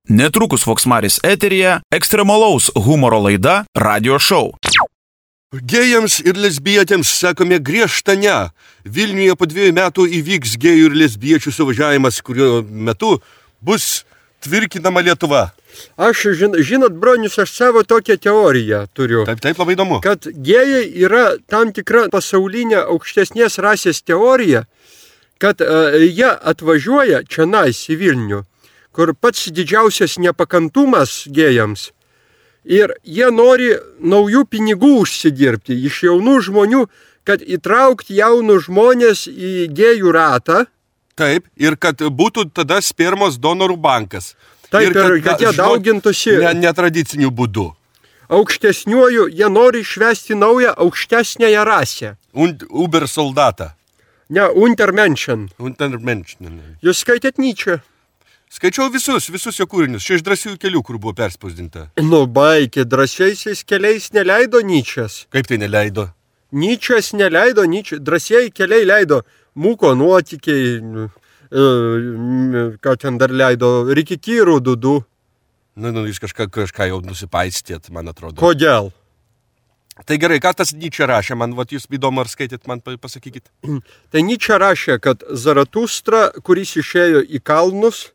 Netrukus Voksmaris eteryje ekstremalaus humoro laida Radio Show. Gėjams ir lesbietėms sakome griežtą ne. Vilniuje po 2 metų įvyks gėjų ir lesbiečių suvažiavimas, kurio metu bus tvirkinama Lietuva. Aš, žinot, bronius, aš savo tokią teoriją turiu. Taip, labai įdomu. Kad gėjai yra tam tikra pasaulinė aukštesnės rasės teorija, kad jie atvažiuoja čionais į Vilnių, kur pats didžiausias nepakantumas gėjams. Ir jie nori naujų pinigų užsidirbti iš jaunų žmonių, kad įtraukti jaunus žmonės į gėjų ratą. Taip, ir kad būtų tada spermos donorų bankas. Taip, ir kad jie daugintųsi netradiciniu būdu. Aukštesniuoju, jie nori išvesti naują aukštesnėją rasę. Uber soldatą. Ne, Untermenschen. Untermenschen. Jūs skaitėt Nyčę? Skaičiau visus jo kūrinius. Čia iš Drąsiųjų kelių, kur buvo perspausdinta. Nu, baikė, Drąsiaisiais keliais neleido Nyčės. Kaip tai neleido? Nyčės neleido, Drąsieji keliai leido Mūko nuotykiai, ką ten dar leido, Rikikyrų Dudu. Jūs kažką jau nusipaistėt, man atrodo. Kodėl? Tai gerai, ką tas Nyčė rašė, man jūs įdomu, ar skaitėt, man pasakykit. Tai Nyčė rašė, kad Zaratustra, kuris išėjo į kalnus,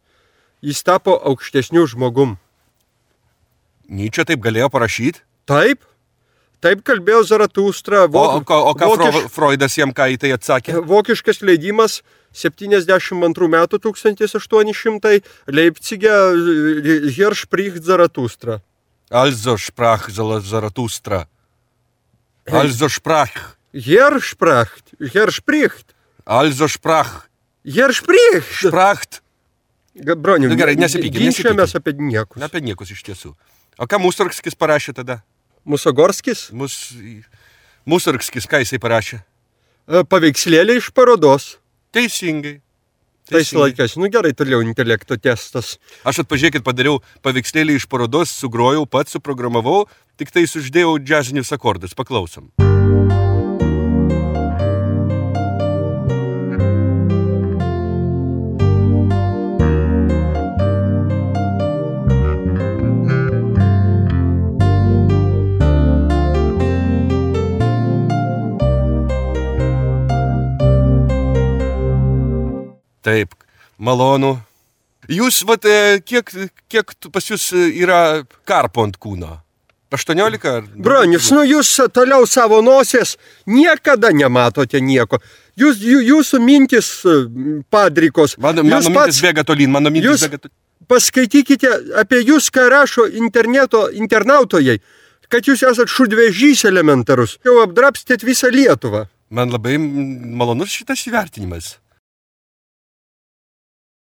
jis tapo aukštesniu žmogum. Nyčė taip galėjo parašyti? Taip kalbėjo Zaratustra. O ką Freudas jam ką į tai atsakė? Vokiškas leidimas 72 metų 1800 Leipzige Herr spricht Zaratustra. Also sprach Zaratustra. Also sprach. Herr spricht. Also sprach. Herr spricht. Spracht. Broniu, gerai, nesipykit. Ginčiamės apie niekus. Apie niekus iš tiesų. O ką Mussorgskis parašė tada? Musogorskis? Mussorgskis, ką jisai parašė? Paveikslėlį iš parodos. Teisingai. Tais laikais, gerai, toliau intelekto testas. Aš pažiūrėkit, padariau paveikslėlį iš parodos, sugrojau, pats suprogramavau, tik tai uždėjau džiazinius akordus. Paklausom. Taip, malonu. Jūs, kiek pas jūs yra karpo ant kūno? 18? Bronius, jūs toliau savo nosies niekada nematote nieko. Jūsų mintis padrikos. Mano mintis bėga tolyn, Paskaitykite apie jūs, ką rašo internautojai, kad jūs esat šudvežys elementarus. Jau apdrapstėt visą Lietuvą. Man labai malonus šitas įvertinimas.